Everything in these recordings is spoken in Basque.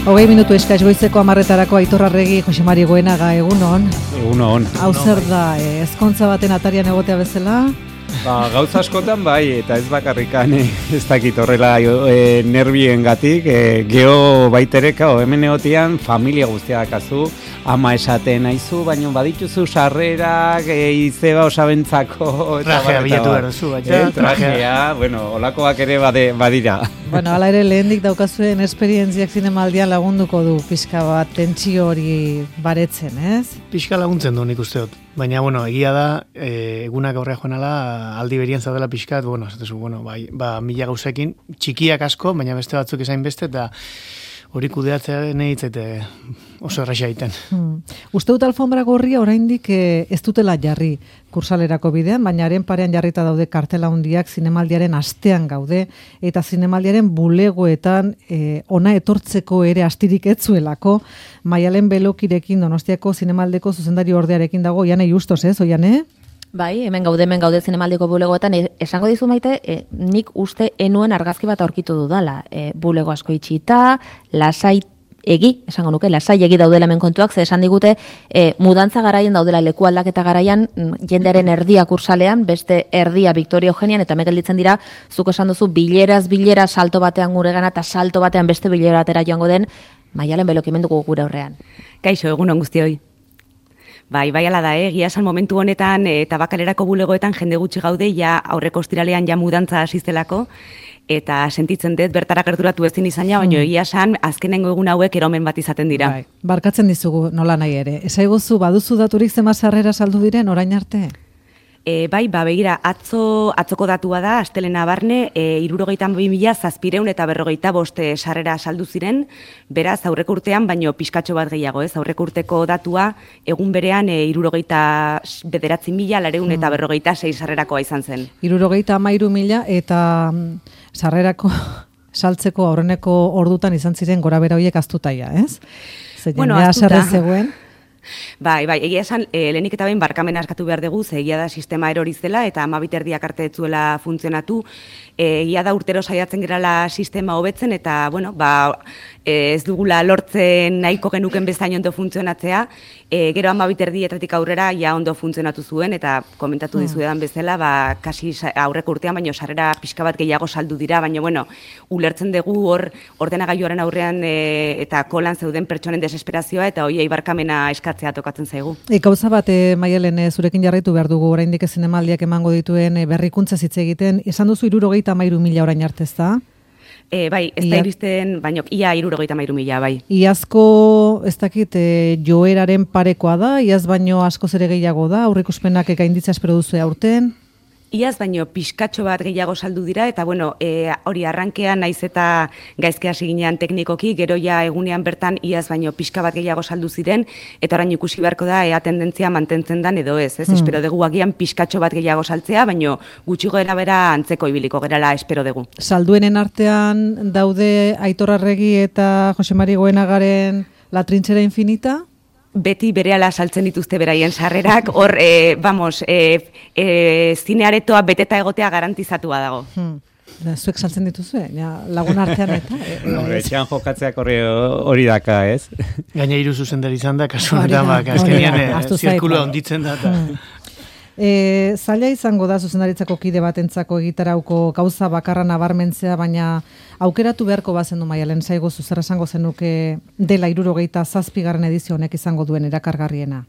20 eskaz goizeko 10:00 Aitor Arregi, Jose Mari Goenaga, egunon. Egunon. Hau zer da, ezkontza baten atarian egotea bezala? Gauza askotan bai, eta ez bakarrikan ez dakit horrela nerbiengatik, geho baitereka, hemen egotian familia guztia dakazu, ama esaten aizu, baina badituzu sarrerak, izeba osabentzako... Trajea bilatu behar duzu, baina. Trajea, bueno, olakoak ere badira. Bueno, ala ere lehendik daukazuen esperientziak zinemaldian lagunduko du pixka bat tentsio hori baretzen, ez? Pixka laguntzen du nik uste dut. Baina, bueno, egia da, egunak aurrea joan ala, aldi berien zaudela pixkat, bueno, mila gauzekin, txikiak asko, baina beste batzuk esain beste, eta hori kudeatzea nehitzete oso erraxa egiten. Uste dut alfombra gorria oraindik ez dutela jarri kursalerako bidean, baina haren parean jarrita daude kartela handiak zinemaldiaren astean gaude, eta zinemaldiaren bulegoetan ona etortzeko ere astirik etzuelako, Maialen Belokirekin Donostiako zinemaldeko zuzendari ordearekin dago, Oiane Justos, ez, Oiane? Bai, hemen gaude zinemaldiko bulegoetan, esango dizu Maite, nik uste enuen argazki bat aurkitu dudala, bulego asko itxita, lasai egi daudela hemen kontuak, ze esan digute, mudantza garaian daudela leku aldaketa garaian, jendearen erdia kursalean, beste erdia Victoria Eugenian, eta megelditzen dira, zuk esan duzu, bilera salto batean gure gana, eta salto batean beste bilera atera joango den, Maialen Belokimenduko gure aurrean. Kaixo, egunon guztioi. Bai, ala da, egia esan momentu honetan Tabakalerako bulegoetan jende gutxi gaude, ja aurreko ostiralean ja mudantza hasizelako, eta sentitzen dut bertara gerturatu ezin izana, baina egia esan azkenengo egun hauek eromen bat izaten dira. Bai, barkatzen dizugu nola nahi ere. Esaiguzu, baduzu daturik zema sarrera saldu diren orain arte? Bai, begira, atzoko datua da, astelena barne, 62.700 eta 45 sarrera saldu ziren, beraz, aurreko urtean, baino pixkatxo bat gehiago, ez? Aurreko urteko datua, egun berean, 69.900 eta 46 sarrerakoa izan zen. 63.000 eta sarrerako saltzeko aurreneko ordutan izan ziren gora bera horiek aztutaia, ez? Bueno, aztuta. Zegoen. Bai, egia esan, lehenik eta behin barkamena askatu behar dugu, ze egia da sistema erori zela eta 12 erdiak arte etzuela funtzionatu, egia da urtero saiatzen gerala sistema hobetzen eta, bueno, ez dugula lortzen nahiko genuken bezain ondo funtzionatzea, gero 12 erdietatik aurrera ja ondo funtzionatu zuen eta komentatu dizuedan bezala, kasi aurreko urtean, baino sarrera pixka bat gehiago saldu dira, baina, bueno, ulertzen dugu hor ordenagailuaren aurrean eta kolan zeuden pertsonen desesperazioa eta hoiei barkamena eskatzea tokatzen zaigu. Gauza bat, Maialen, zurekin jarraitu behar dugu oraindik zinemaldiak emango dituen berrikuntza hitz egiten, esan duzu 63.000 orain arte, ezta? Bai, ez da iristen, baina ia 63.000, bai. Iazko, ez dakit, joeraren parekoa da, iaz baino askoz ere gehiago da, aurreikuspenak gainditza espero duzu aurten? Iaz baino pixkatxo bat gehiago saldu dira, eta bueno, hori arrankean naiz eta gaizke hasi ginean teknikoki, gero ja egunean bertan iaz baino pixka bat gehiago saldu ziren, eta orain ikusi beharko da ea tendentzia mantentzen dan edo ez. Espero dugu agian pixkatxo bat gehiago saltzea, baino gutxi gora bera antzeko ibiliko gerala espero dugu. Salduenen artean daude Aitor Arregi eta Jose Mari Goenagaren La Trinchera Infinita? Beti berehala saltzen dituzte beraien sarrerak, hor, zinearetoa beteta egotea garantizatua dago. Zuek saltzen dituzue, lagun artean eta... Etxean jokatzeak hori daka, ez? Gaina hiru zuzendari izan da, kasu honetan, azkenean zirkulua onditzen da. Zaila izango da zuzendaritzako kide batentzako egitarauko gauza bakarra nabarmentzea, baina aukeratu beharko bazen du Maialen, zaigu zer esango zenuke dela 77. edizio honek izango duen erakargarriena.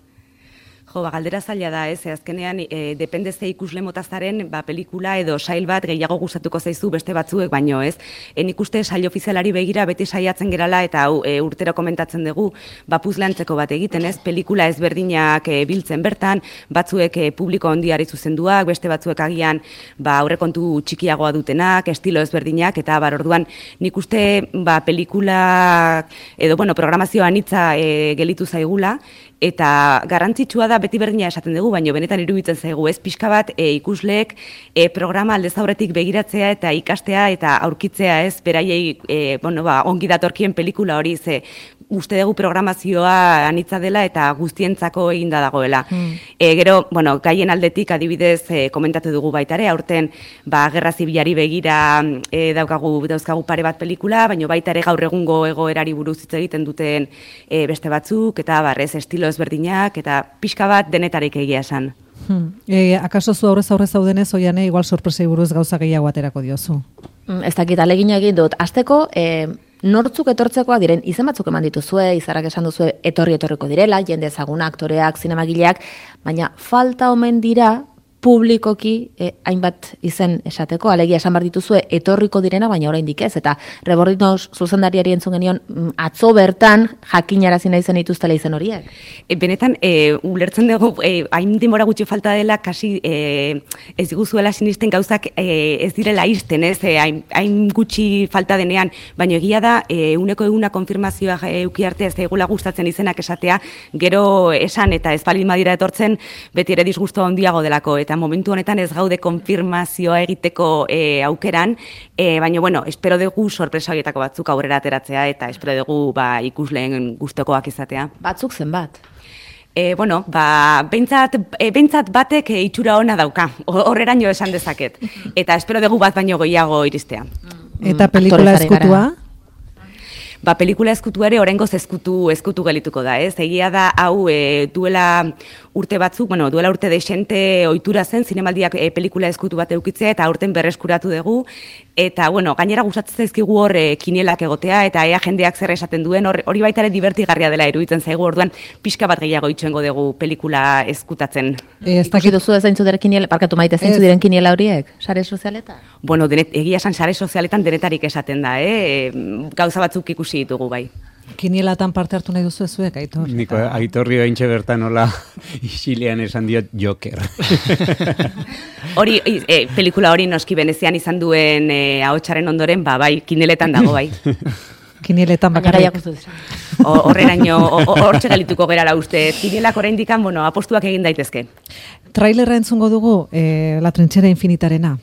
Galdera zaila da, ez, azkenean, depende ze ikusle motazaren, pelikula edo sail bat gehiago gustatuko zaizu beste batzuek, baino, ez. Nik uste sail ofizialari begira beti saiatzen gerala eta urtero komentatzen dugu, puzlantzeko bat egiten, ez, pelikula ezberdinak biltzen bertan, batzuek publiko handiari zuzenduak, beste batzuek agian aurrekontu txikiagoa dutenak, estilo ezberdinak, eta orduan nik uste pelikula edo, programazioan hitza gelitu zaigula, eta garrantzitsua da beti berdina esaten dugu, baina benetan iruditzen zaigu, ez pixka bat ikusleek programa aldez aurretik begiratzea eta ikastea eta aurkitzea, ez beraiei ongi datorkien pelikula hori, ze uste dugu programazioa anitza dela eta guztientzako eginda dagoela. Gero, gaien aldetik adibidez komentatu dugu baitare, aurten gerra zibilari begira dauzkagu pare bat pelikula, baina baita ere gaur egungo egoerari buruz hitz egiten duten beste batzuk, eta estilo ezberdinak, eta pixka bat denetarik egia esan. Akaso zu aurrez zaudenez, Oiane, igual sorpresei buruz gauza gehiago aterako diozu? Ez dakit, alegina egin dut. Azteko, nortzuk etortzekoak diren, izen batzuk eman dituzue, izarrak esan duzue etorriko direla, jende ezaguna, aktoreak, zinemagileak, baina falta omen dira publikoki hainbat izen esateko, alegia esan behar dituzue etorriko direna, baina oraindik ez, eta Rebordinoz zuzendariari entzun genion atzo bertan jakinarazi nahi zen dituztela izen horiek. Benetan, ulertzen dugu, hain denbora gutxi falta dela, kasi ez diguzuela sinisten gauzak ez direla izten, ez, hain gutxi falta denean, baina egia da, uneko eguna konfirmazioa euki arte ez daigula gustatzen izenak esatea, gero esan eta ez baldin badira etortzen, beti ere disgusto handiago delako, eta momentu honetan ez gaude konfirmazioa egiteko aukeran, baina, espero dugu sorpresa horietako batzuk aurrera ateratzea, eta espero dugu ikusleen gustokoak izatea. Batzuk zenbat? Behintzat batek itxura ona dauka, horreraino esan dezaket, eta espero dugu bat baino gehiago iristea. Eta pelikula ezkutua? Pelikula ezkutu ere oraingoz ezkutu gelituko da, ez? Egia da hau duela urte batzuk, duela urte desente ohitura zen zinemaldiak pelikula ezkutu bat edukitzea eta aurten berreskuratu dugu, eta gainera gustatzen zaizkigu hor kinielak egotea eta ea jendeak zer esaten duen, hori baita ere divertigarria dela iruditzen zaigu, orduan pixka bat gehiago itxoengo dugu pelikula ezkutatzen. Ikusi duzu zeintzu diren kiniela, parkatu Maite, zeintzu diren kiniela horiek, sare sozialetan? Egia esan sare sozialetan denetarik esaten da, gauza batzuk ikusi ditugu bai. Kinielatan parte hartu nahi duzu ezuek, Aitor? Niko, Aitorri ointxe bertan hola isilean esan diot Joker. Pelikula hori noski Venezian izan duen ahotsaren ondoren, bai, kineletan dago bai. Kinieletan bakarrik. Horreraino, hortxe gelituko gerala uste. Kinielak oraindik apostuak egin daitezke. Trailerra entzungo dugu, La trinchera infinitarena.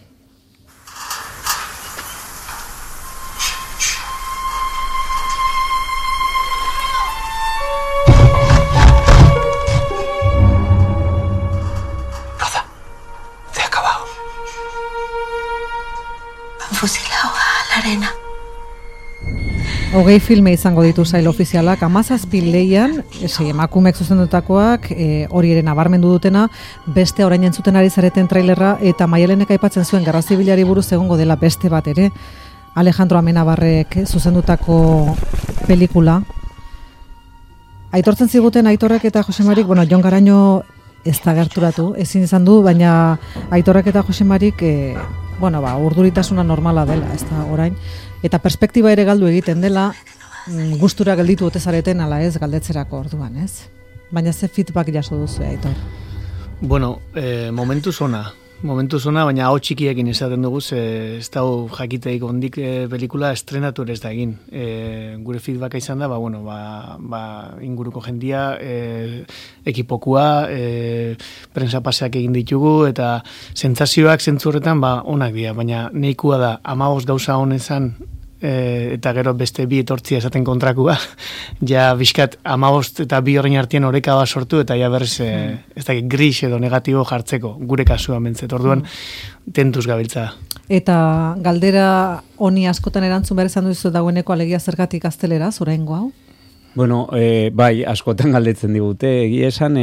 Fusilado a la arena. 20 filme izango ditu sail ofizialak, 17 leian, emakumeek zuzendutakoak, hori ere nabarmendu dutena, beste orain entzuten ari zareten trailerra, eta Maialenek aipatzen zuen Gerra Zibilari buruz egongo dela beste bat ere, Alejandro Amenabarrek zuzendutako pelikula. Aitortzen ziguten Aitorrek eta Josemarik, Jon Garaño ez da gerturatu, ezin izan du, baina Aitorrek eta Josemarik urduritasuna normala dela, ez da orain, eta perspektiba ere galdu egiten dela, gustura gelditu ote zareten ala ez galdetzerako orduan, ez? Baina ze feedback jaso duzu, Aitor? Momentu zona, baina hau txikiekin esaten dugu, ez da jakiteik ondik pelikula estrenatu ere ez da egin. Gure feedbacka izan da, inguruko jendia, ekipokua, prensa paseak egin ditugu, eta sentsazioak zentzu horretan onak dira, baina nahikoa da 15 gauza honezan, eta gero beste bi etortzia esaten kontrakua, ja bizkat 15 eta bi horrein artean oreka bat sortu, eta ja berriz ez dakit gris edo negatibo jartzeko, gure kasuan bentzet, orduan tentuz gabiltza. Eta galdera honi askotan erantzun behar izan duzu dagoeneko alegia zergatik gaztelera, oraingo hau? Bai, askotan galdetzen digute, egia esan,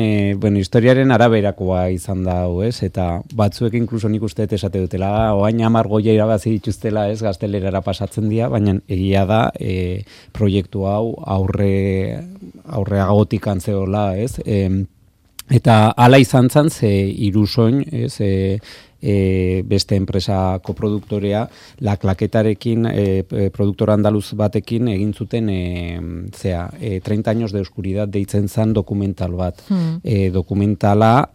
historiaren araberakoa izan da hau, ez? Eta batzuek inkluso nik uste esate dutela, oain 10 goia irabazi dituztela, ez, gaztelerara pasatzen dira, baina egia da, proiektu hau aurreagotik antzeola, ez? Eta hala izan zen, ze irusoin, ez, beste enpresa koproduktorea, La Claquetarekin, produktora andaluz batekin egin zuten 30 años de oscuridad deitzen zan dokumental bat. Dokumentala,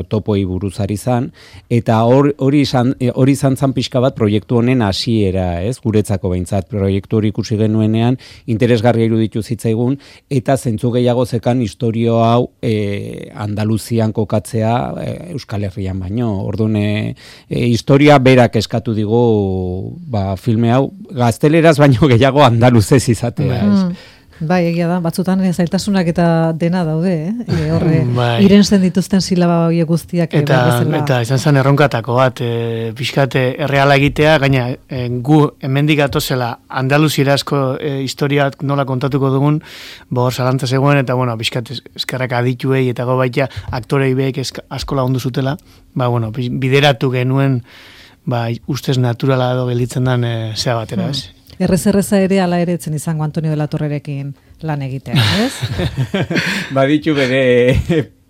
topoi buruzari zan, eta hori izan zan pixka bat proiektu honen hasiera, ez? Guretzako behintzat, proiektu hori ikusi genuenean, interesgarria iruditu zitzaigun, eta zentzu gehiago zekan historio hau Andaluzian kokatzea Euskal Herrian baino. Orduan, historia berak eskatu digu filme hau, gazteleraz baino gehiago andaluzez izatea, ez? Bai, egia da, batzutan zailtasunak eta dena daude, horre, irensten dituzten silaba horiek guztiak. Eta izan zen erronkatako bat, pixkate erreala egitea, gaina gu hemendik atozela andaluzierazko historiak nola kontatuko dugun, hor zalantza zegoen, eta pixkate eskerrak adituei eta baita aktorei beek asko lagundu zutela, bideratu genuen, ustez naturala edo gelditzen den zea batera, ez? Erreza ere ala ere etzen izango Antonio de la Torrerekin lan egitea, ez? Baditu bere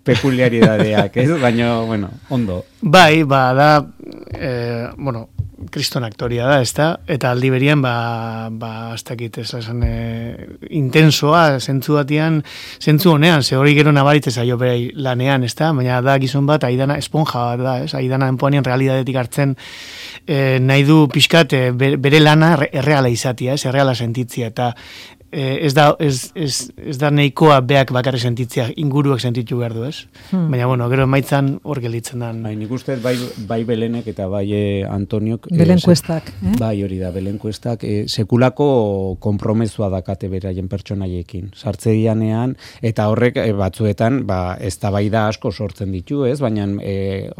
pekuliaridadeak, ez? Baina, ondo. Bai, da, kriston aktoria da, ez da? Eta aldi berian, ez dakit, intensoa, zentzu batian, zentzu honean, ze hori gero nabaritze zaio berei lanean, ez da? Baina da gizon bat, Aidana esponja bat da, ez? Aidana enpoanean realidadetik hartzen nahi du pixkat bere lana erreala izatia, ez? Erreala sentitzia, eta ez da nahikoa beak bakarri sentitzia, inguruak sentitu behar du, ez? Baina, gero emaitzan hor gelditzen da. Nik uste bai Belenek eta bai Antoniok. Belenkuestak. Bai, hori da, Belenkuestak. Sekulako konpromesua dakate beraien pertsonaiekin. Sartze dianean, eta horrek batzuetan, eztabaida asko sortzen ditu, ez? Baina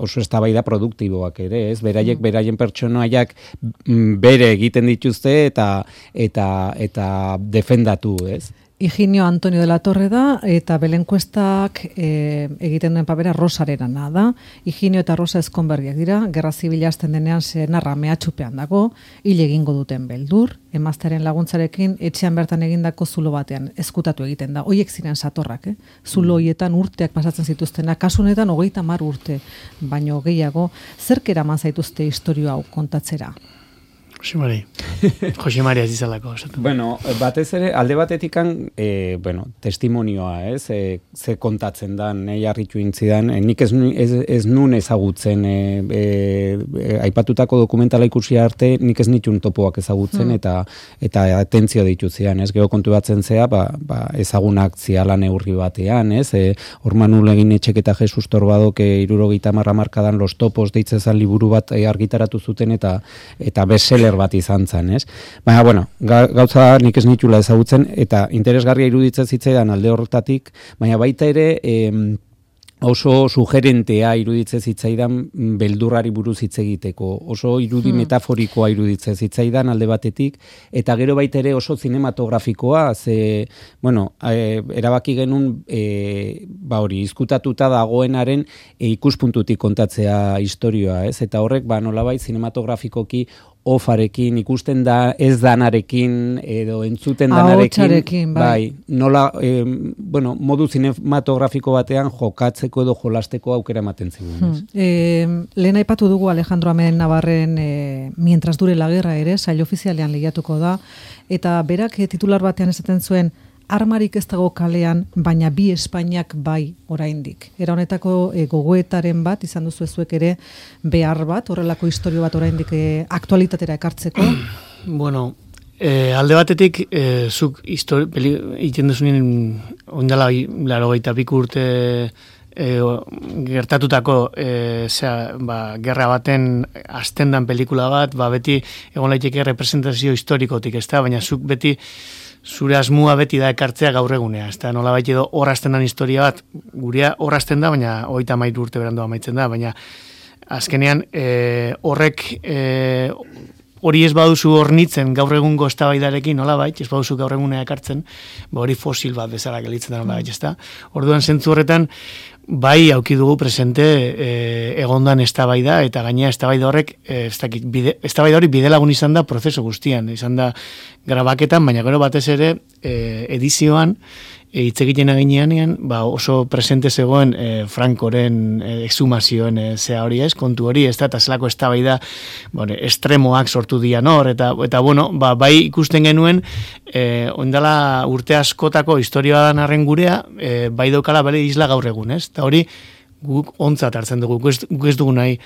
oso eztabaida produktiboak ere, ez? Beraiek beraien pertsonaiak bere egiten dituzte eta defendatu, ez? Higinio Antonio de la Torre da, eta Belenkuestak egiten duen papera Rosarena da. Higinio eta Rosa ezkonberriak dira, gerra zibila hasten denean senarra mehatxupean dago, hil egingo duten beldur, emaztearen laguntzarekin etxean bertan egindako zulo batean ezkutatu egiten da. Hoiek ziren satorrak, zulo hoietan urteak pasatzen zituztena, kasunetan 30 urte, baino gehiago, zerk eraman zaituzte historio hau kontatzera? Jose Mari ez izalako. Batez ere, alde batetikan, testimonioa, ez? Ze kontatzen da, nahi harritu intzidan, nik ez nun ezagutzen, aipatutako dokumentala ikusi arte, nik ez nitun topoak ezagutzen, eta atentzio ditutzean, ez? Gero kontu batzen zea, ezagunak ziala neurri batean, ez? Orman Ulegin Etxek eta Jesus Torbadok 70 markadan Los Topos deitzezan liburu bat argitaratu zuten, eta bestseller bat izan zen, ez? Baina, gauza nik ez nitula ezagutzen, eta interesgarria iruditzen zitzaidan alde horretatik, baina baita ere oso sugerentea iruditzen zitzaidan beldurrari buruz hitz egiteko, oso irudi metaforikoa iruditzen zitzaidan alde batetik, eta gero baita ere oso zinematografikoa, erabaki genuen izkutatuta dagoenaren ikuspuntutik kontatzea historioa, ez? Eta horrek, nolabait zinematografikoki ofarekin, ikusten da ez danarekin, edo entzuten danarekin, nola, modu zinematografiko batean jokatzeko edo jolasteko aukera ematen zigun. Lehen aipatu dugu Alejandro Amen Navarren Mientras dure la guerra ere, sail ofizialean lehiatuko da, eta berak titular batean esaten zuen, armarik ez dago kalean, baina bi Espainiak bai oraindik. Era honetako gogoetaren bat, izan duzu zuek ere, behar bat, horrelako historio bat oraindik aktualitatera ekartzeko? Alde batetik, zuk iten duzunien ondala 82 urte gertatutako gerra baten astendan pelikula bat, beti egon laiteke representazio historikotik, ez da, baina zuk beti zure asmua beti da ekartzea gaur egunea, ez da, nola baita edo horrazten den historia bat, gurea horrazten da, baina 33 urte berandu amaitzen da, baina azkenean horrek hori ez baduzu hornitzen gaur egungo eztabaidarekin, nola bait, ez baduzu gaur egunea ekartzen, hori fosil bat bezala gelitzen da, nola bait, ez da. Orduan zentzu horretan, bai auki dugu presente egondan eztabaida, eta gainea eztabaida horrek, eztabaida hori bidelagun izan da prozesu guztian, izan da grabaketan, baina gero batez ere edizioan, hitz egiten aginean, oso presente zegoen Francoren exhumazioen zea hori ez, kontu hori, ez da, eta zelako eztabaida estremoak sortu dian hor, eta bueno, bai ikusten genuen, ondala urte askotako historia dan arren gurea, bai daukala bere isla gaur egun, ez? Eta hori, guk ontzat hartzen dugu, guk ez dugu nahi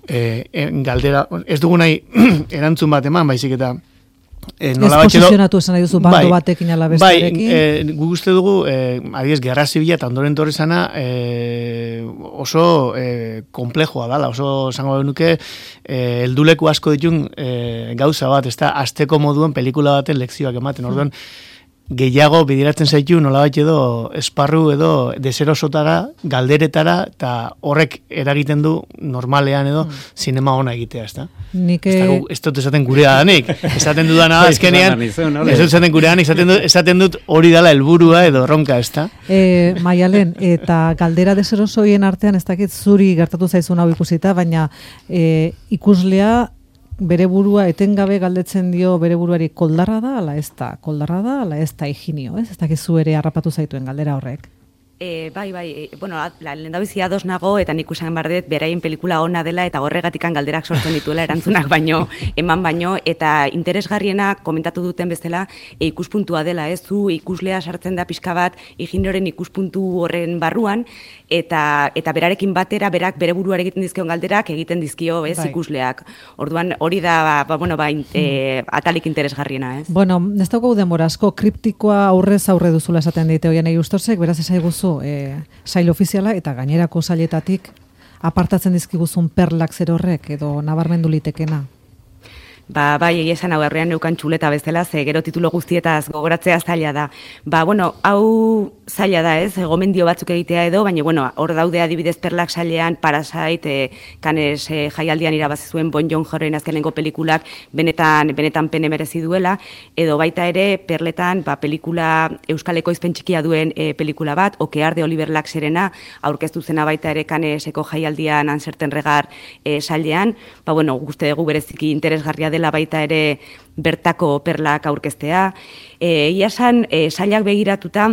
galdera, ez dugu nahi erantzun bat eman, baizik eta ez posizionatu esan nahi duzu bando batekin ala bestearekin. Guk uste dugu, adiez, gerra zibila eta ondoren torri zana oso komplejoa dala, oso zango nuke helduleku asko ditun gauza bat, ez da, azteko moduen pelikula baten lekzioak ematen, orduan, gehiago bidiratzen zaitu nolabait edo esparru edo deserosotara, galderetara, eta horrek eragiten du normalean edo zinema ona egitea, ez da? Ez dut esaten gurea danik, esaten dudana azkenean, ez dut esaten gurea danik, esaten dut hori dala helburua edo ronka, ez da? Maialen, eta galdera deserosoien artean, ez dakit zuri gertatu zaizun hau ikusita, baina ikuslea bere burua etengabe galdetzen dio bere buruari koldarra da, ala ez da, koldarra da, ala ez da higinio, ez? Ez dakizu ere harrapatu zaituen galdera horrek. Bai, bueno, lehendabizia ados nago, eta nik usan bardet, beraien pelikula ona dela, eta horregatikan galderak sortzen dituela erantzunak eman baino, eta interesgarriena komentatu duten bezala, ikuspuntua dela, ez zu, ikuslea sartzen da pixka bat, ingenieuren ikuspuntu horren barruan, eta berarekin batera, berak bere buruare egiten dizkion galderak, egiten dizkio, ez, ikusleak. Orduan, hori da, atalik interesgarriena, ez? Bueno, ez daukagu denbora asko, kriptikoa aurrez aurre duzula esaten dite hoian Justosek, beraz esai guzu, sail ofiziala eta gainerako sailetatik apartatzen dizkiguzun perlak zer horrek edo nabarmendu litekena. Bai, egia esan hau herrian neukan txuleta bezala, ze gero titulo guztietaz gogoratzea zaila da. Hau zaila da ez, gomendio batzuk egitea edo, baina, hor daude adibidez perlak sailean, Parasite, Cannes jaialdian irabazi zuen Bon Joon-horen azkenengo pelikulak benetan pene merezi duela, edo baita ere perletan pelikula Euskal Ekoizpen txikia duen pelikula bat, Okear de Oliver Laxerena, aurkeztu zena baita ere Canneseko jaialdian Anserten Regar sailean, guzti dugu bereziki interesgarria dela baita ere bertako perlak aurkeztea. Ia esan, sailak begiratuta,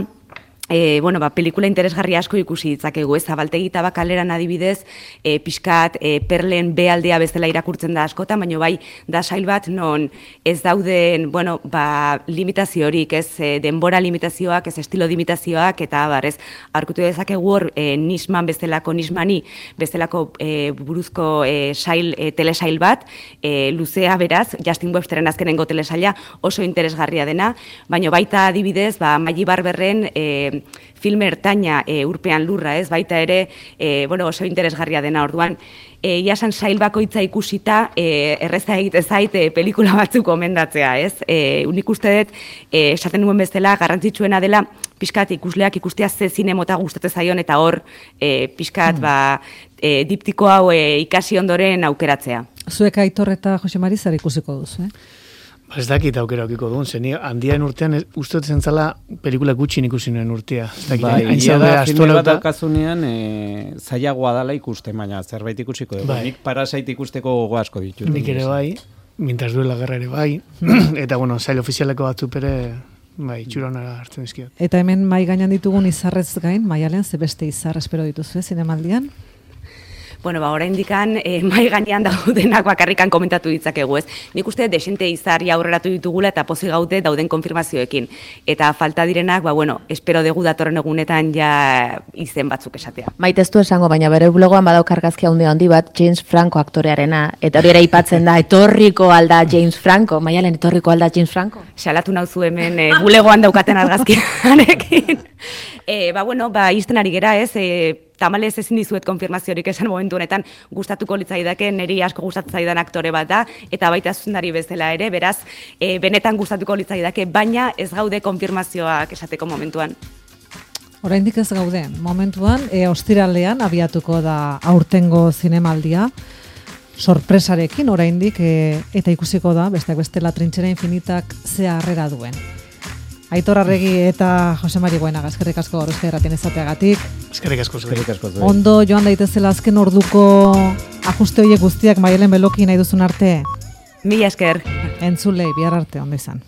pelikula interesgarri asko ikusi ditzakegu, ez, Zabaltegi Tabakaleran adibidez, pixkat perlen bealdea bezala irakurtzen da askotan, baina bai, da sail bat non ez dauden, limitazio horik, ez, denbora limitazioak, ez estilo limitazioak, eta ez, aurkutu dezakegu hor, Nismani bezalako buruzko telesail bat, luzea beraz, Justin Websteren azkenengo telesaila oso interesgarria dena, baina baita adibidez, Maggie Barberren film ertaina urpean lurra, ez, baita ere, oso interesgarria dena orduan, iasan sail bakoitza ikusita, erreza egite zait pelikula batzuk gomendatzea, ez? Unik uste dut, esaten duen bezala, garrantzitsuena dela, pixkat ikusleak ikustea ze zinemota gustatzen zaion, eta hor, pixkat, diptiko hau ikasi ondoren aukeratzea. Zuek Aitor eta Jose Mari zer ikusiko duzu, Ez dakit aukera okiko duen, zen handian urtean uste dut zentzala pelikula gutxin ikusi nuen urtea. Egia da, filme bat daukazunean zailagoa dela ikuste, baina zerbait ikusiko dugu. Nik Parasite ikusteko gogo asko ditut. Nik ere bai, mintaz duela gerra ere bai, eta zail ofizialeko batzuk ere txuronara hartzen dizkiot. Eta hemen mai gainan ditugun izarrez gain, Maialen, ze beste izar espero dituzu, zinemaldian? Oraindikan mai gainean daudenak bakarrikan komentatu ditzakegu, ez. Nik uste desente izarri aurreratu ditugula eta pozik gaude dauden konfirmazioekin. Eta falta direnak, espero dugu datorren egunetan ja izen batzuk esatea. Maiteztu esango, baina bere blogoan badauk argazki handi bat James Franco aktorearena. Eta hori ere aipatzen da, etorriko alda James Franco. Maialen, etorriko alda James Franco? Salatu nauzu hemen bulegoan daukaten argazkiarekin. Izten ari gera, ez, tamalez ezin dizuet konfirmaziorik esan momentu honetan gustatuko litzaidake, niri asko gustatzen zaidan aktore bat da, eta baita zuzendari bezala ere, beraz, benetan gustatuko litzaidake, baina ez gaude konfirmazioak esateko momentuan. Oraindik ez gaude, momentuan, ostiralean abiatuko da aurtengo zinemaldia, sorpresarekin oraindik, eta ikusiko da, besteak beste La Trinchera Infinitak ze harrera duen. Aitor Arregi eta Jose Mari Goenaga, eskerrik asko gaur Euskal Irratien izateagatik. Eskerrik asko. Ondo joan daitezela azken orduko ajuste horiek guztiak Maialen Beloki nahi duzun arte. Mila esker. Entzulei, bihar arte, ondo izan.